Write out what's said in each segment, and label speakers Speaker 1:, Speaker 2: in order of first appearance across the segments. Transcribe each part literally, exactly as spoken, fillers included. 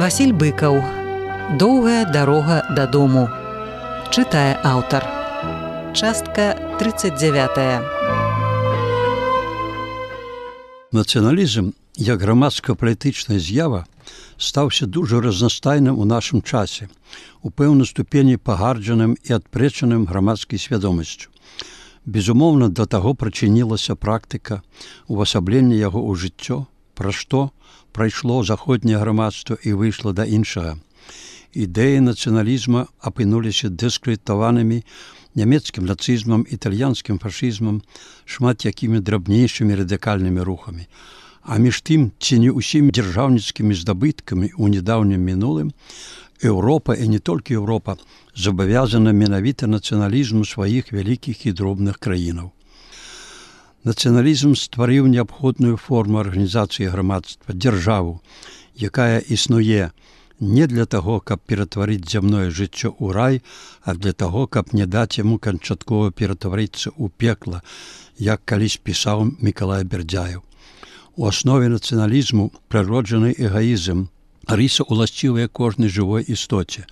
Speaker 1: Васіль Быкаў. Доўгая дарога дадому. Чытае аўтар. Частка тридцать девятая.
Speaker 2: Нацыяналізм, як грамадска-палітычная з'ява, стаўся дужа разнастайным у нашым часе, у пэўнай ступені пагарджаным і адпрэчаным грамадскай свядомасцю. Безумоўна, да таго прычынілася практыка увасаблення яго ў жыццё, пра што прайшло заходняе грамадства і выйшла да іншага. Ідэі нацыяналізма апынуліся дыскрэдытаванымі нямецкім нацызмам, італьянскім фашызмам, шмат якімі драбнейшымі радыкальнымі рухамі. А між тым, ці не ўсімі дзяржаўніцкімі здабыткамі ў нядаўнім мінулым, Еўропа, і не толькі Еўропа, забавязана менавіта нацыяналізму сваіх вялікіх і дробных краінаў. Нацыяналізм стварыў неабходную форму арганізацыі грамадства, дзяржаву, якая існуе не для таго, каб ператварыць зямное жыццё ў рай, а для таго, каб не даць яму канчаткова ператварыцца ў пекла, як калісь пісаў Мікалай Бердзяеў. У аснове нацыяналізму прыроджаны эгаізм, рыса уласцівая кожнай жывой істоце.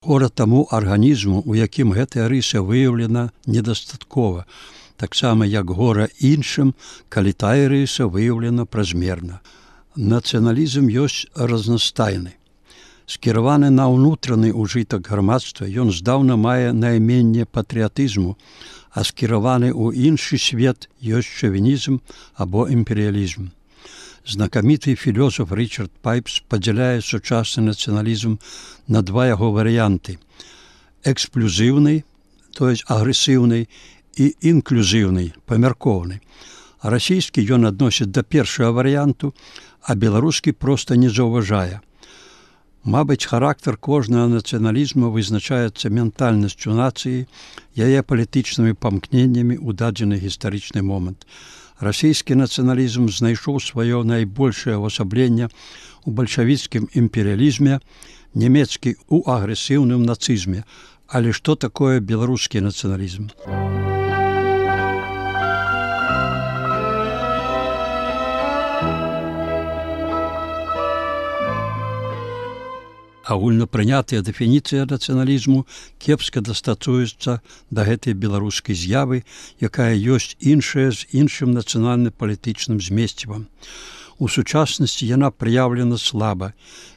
Speaker 2: Гора таму арганізму, у якім гэтая рыса выяўлена недастаткова, таксама як гора іншым, калі тая рыса выяўлена празмерна. Нацыяналізм ёсць разнастайны. Скіраваны на ўнутраны ўжытак грамадства, ён здаўна мае найменне патрыятызму, а скіраваны ў іншы свет ёсць шавінізм або імперыялізм. Знакаміты філёзаф Річард Пайпс падзяляе сучасны нацыяналізм на два яго варыянты: эксплюзіўны, то есть агрэсіўны, і інклюзіўны, памяркоўны. А расійскі ён адносіць да першага варыянту, а беларускі проста не заўважае. Мабыць, характар кожнага нацыяналізму вызначаецца ментальнасцю нацыі, яе палітычнымі памкненнямі ў дадзены гістарычны момант. Расійскі нацыяналізм знайшоў сваё найбольшае ўвасабленне ў бальшавіцкім імперыялізме, нямецкі ў агрэсіўным нацызме. Але што такое беларускі нацыяналізм? Агульнапрынятая дэфініцыя нацыяналізму кепска дастасуецца да гэтай беларускай з'явы, якая ёсць іншая з іншым нацыянальна-палітычным змесцівам. У сучаснасці яна праяўлена слаба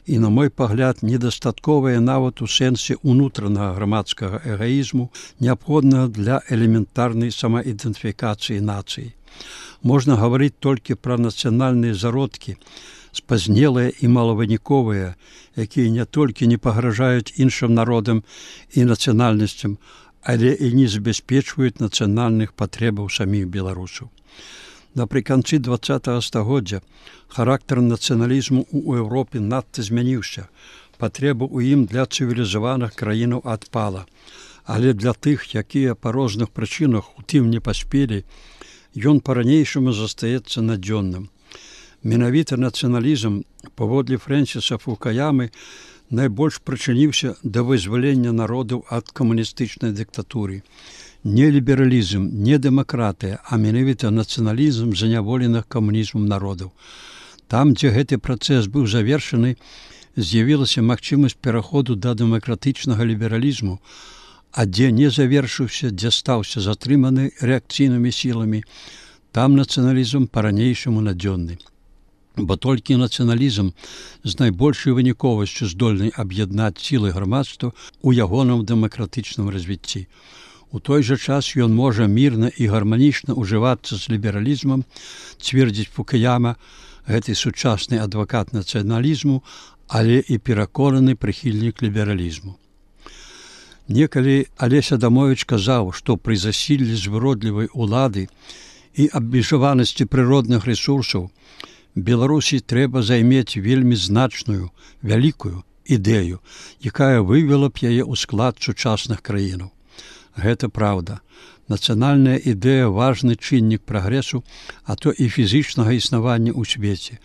Speaker 2: і, на мой пагляд, недастатковая нават у сэнсе ўнутранага грамадскага эгаізму, неабходнага для элементарнай самаідэнтыфікацыі нацыі. Можна гаварыць толькі пра нацыянальныя зародкі, спазнелыя і малавыніковыя, якія не толькі не пагражаюць іншым народам і нацыянальнасцям, але і не забяспечваюць нацыянальных патрэбаў саміх беларусаў. Напрыканцы дваццатага стагоддзя характар нацыяналізму ў Еўропе надта змяніўся. Патрэба ў ім для цывілізаваных краінаў адпала. Але для тых, якія па розных прычынах у тым не паспелі, ён па-ранейшаму застаецца надзённым. Менавіта нацыяналізм, паводле Фрэнсіса Фукуямы, найбольш прычыніўся да вызвалення народаў ад камуністычнай дыктатуры. Не лібералізм, не дэмакратыя, а менавіта нацыяналізм заняволеных камунізмам народаў. Там, дзе гэты працэс быў завершаны, з'явілася магчымасць пераходу да дэмакратычнага лібералізму, а дзе не завершыўся, дзе стаўся затрыманы рэакцыйнымі сіламі, там нацыяналізм па-ранейшаму надзённы. Бо толькі нацыяналізм з найбольшай выніковасцю здольны аб'яднаць сілы грамадства ў ягоным дэмакратычным развіцці. У той жа час ён можа мірна і гарманічна ўжывацца з лібералізмам, цвердзіць Фукуяма, гэты сучасны адвакат нацыяналізму, але і пераконаны прыхільнік лібералізму. Некалі Алесь Адамовіч казаў, што пры засіллі звыродлівай улады і абмежаванасці прыродных рэсурсаў Беларусі трэба займець вельмі значную, вялікую ідэю, якая вывела б яе ў склад сучасных краінаў. Гэта праўда. Нацыянальная ідэя – важны чыннік прагрэсу, а то і фізічнага існавання ў свеце.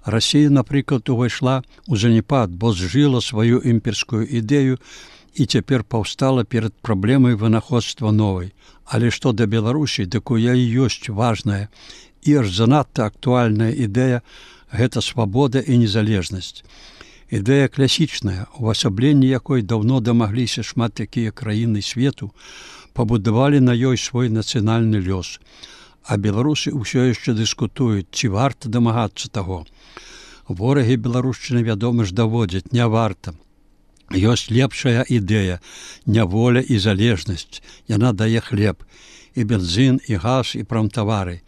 Speaker 2: Расія, напрыклад, увайшла ў заняпад, бо зжыла сваю імперскую ідэю і цяпер паўстала перад праблемай вынаходства новай. Але што да Беларусі, дык у яе ёсць важная і аж занадта актуальная ідэя – гэта свабода і незалежнасць. Ідэя класічная, увасабленне якой даўно дамагліся шмат якія краіны свету, пабудавалі на ёй свой нацыянальны лёс. А беларусы ўсё яшчэ дыскутуюць, ці варта дамагацца таго. Ворагі беларушчыны, вядома ж, даводзяць, не варта. Ёсць лепшая ідэя, няволя і залежнасць. Яна дае хлеб, і бензін, і газ, і прамтавары.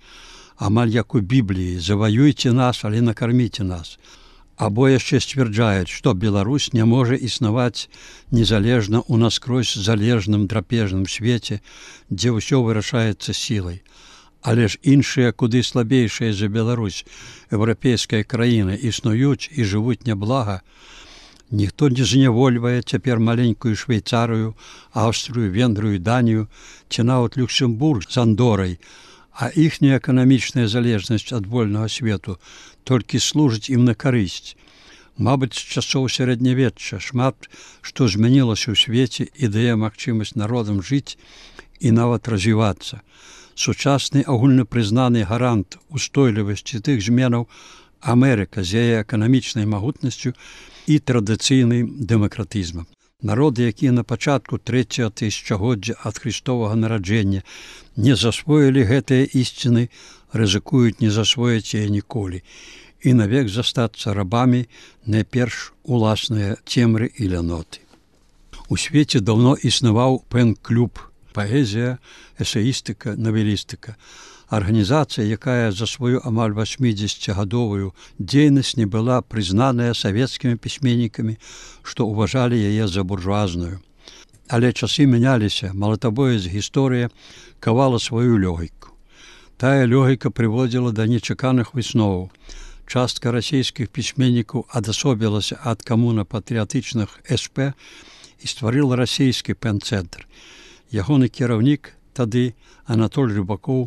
Speaker 2: Амаль як у Бібліі: заваюйце нас, але накарміце нас. Або яшчэ сцвярджаюць, што Беларусь не можа існаваць незалежна ў наскрозь залежным драпежным свеце, дзе ўсё вырашаецца сілай. Але ж іншыя, куды слабейшыя за Беларусь, еўрапейскія краіны існуюць і жывуць няблага. Ніхто не знявольвае цяпер маленькую Швейцарыю, Аўстрыю, Венгрыю, Данію ці нават Люксембург з Андорай, а іхняя эканамічная залежнасць ад вольнага свету толькі служыць ім на карысць. Мабыць, з часоў сярэднявечча шмат што змянілася ў свеце і дае магчымасць народам жыць і нават развівацца. Сучасны агульнапрызнаны гарант устойлівасці тых зменаў Амерыка з яе эканамічнай магутнасцю і традыцыйным дэмакратызмам. Народы, якія на пачатку трэцяга тысячагоддзя ад Христовага нараджэння не засвоілі гэтыя ісціны, рызыкуюць не засвоіць яе ніколі і навек застацца рабамі найперш уласныя цемры і ляноты. У свеце даўно існаваў пэн-клуб, паэзія, эсеістыка, навелістыка. Арганізацыя, якая за сваю амаль васьмідзесяцігадовую дзейнасць не была прызнаная савецкімі пісьменнікамі, што ўважалі яе за буржуазную. Але часы мяняліся, малатабоец гісторыя кавала сваю лёгіку. Тая лёгіка прыводзіла да нечаканых высноваў. Частка расійскіх пісьменнікаў адасобілася ад камуна-патрыятычных эс пэ і стварыла расійскі пэн-цэнтр. Ягоны кіраўнік тады, Анатоль Рыбакоў,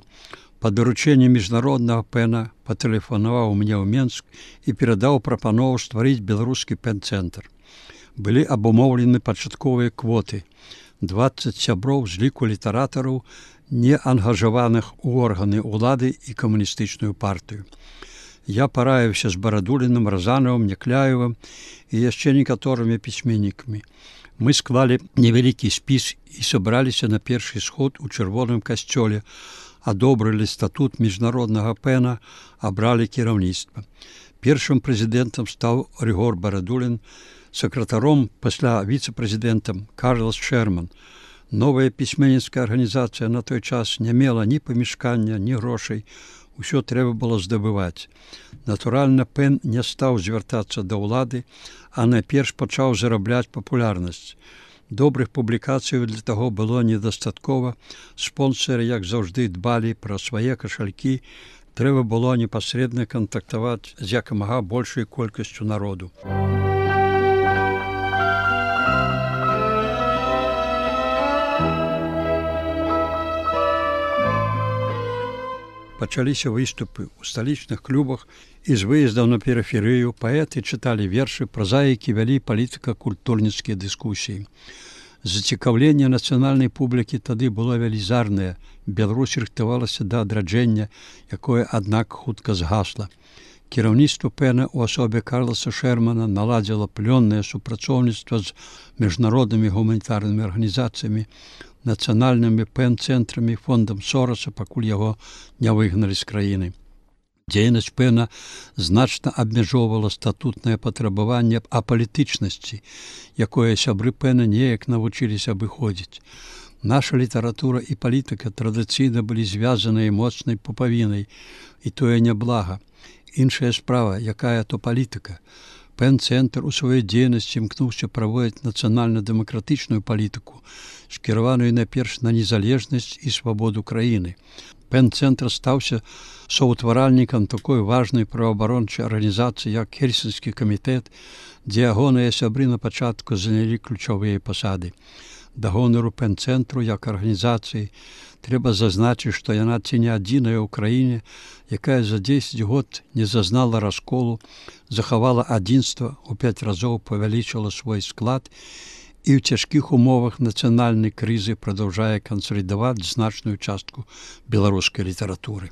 Speaker 2: па даручэнні міжнароднага пэна патэлефанаваў мне ў Менск і перадаў прапанову стварыць беларускі пэн-цэнтр. Былі абумоўлены пачатковыя квоты. дваццаць сяброў з ліку літаратараў, не ангажаваных у органы ўлады і камуністычную партыю. Я параіўся з Барадуліным, Разанавым, Някляевым і яшчэ некаторымі пісьменнікамі. Мы склалі невялікі спіс і сабраліся на першы сход у чырвоным касцёле, адобрылі статут міжнароднага пэна, абралі кіраўніцтва. Першым прэзідэнтам стаў Рыгор Барадулін, сакратаром, пасля віцэ-прэзідэнтам Карлас Шэрман. Новая пісьменніцкая арганізацыя на той час не мела ні памяшкання, ні грошай. Усё трэба было здабываць. Натуральна, пэн не стаў звяртацца да ўлады, а найперш пачаў зарабляць папулярнасць. Добрых публікацый для таго было недастаткова. Спонсары, як заўжды, дбалі пра свае кашалькі. Трэба было непасрэдна кантактаваць з якамага большай колькасцю народу. Пачаліся выступы ў сталічных клубах і з выездаў на перыферыю паэты чыталі вершы, празаікі вялі палітыка-культурніцкія дыскусіі. Зацікаўленне нацыянальнай публікі тады было велізарнае. Беларусь рыхтавалася да адраджэння, якое, аднак, хутка згасла. Кіраўніцтва пэна ў асобе Карласа Шэрмана наладзіла плённае супрацоўніцтва з міжнароднымі гуманітарнымі арганізацыямі, нацыянальнымі пэн-цэнтрамі, фондам Сораса, пакуль яго не выгналі з краіны. Дзейнасць пэна значна абмяжоўвала статутнае патрабаванне апалітычнасці, якое сябры пэна неяк навучыліся абыходзіць. Наша літаратура і палітыка традыцыйна былі звязаныя моцнай пупавінай, і тое няблага. Іншая справа, якая то палітыка. Пэн-цэнтр у сваёй дзейнасці імкнуўся праводзіць нацыянальна-дэмакратычную палітыку, скіраваную найперш на незалежнасць і свабоду краіны. Пэн-цэнтр стаўся соўтваральнікам такой важнай праваабарончай арганізацыі, як Хельсінскі камітэт, дзе ягоныя сябры на пачатку занялі ключавыя пасады. Да гонару пэн-цэнтру як арганізацыі трэба зазначыць, што яна ці не адзіная ў краіне, якая за дзесяць год не зазнала расколу, захавала адзінства, у пяць разоў павялічыла свой склад і ў цяжкіх умовах нацыянальнай крызы прадаўжае кансалідаваць значную частку беларускай літаратуры.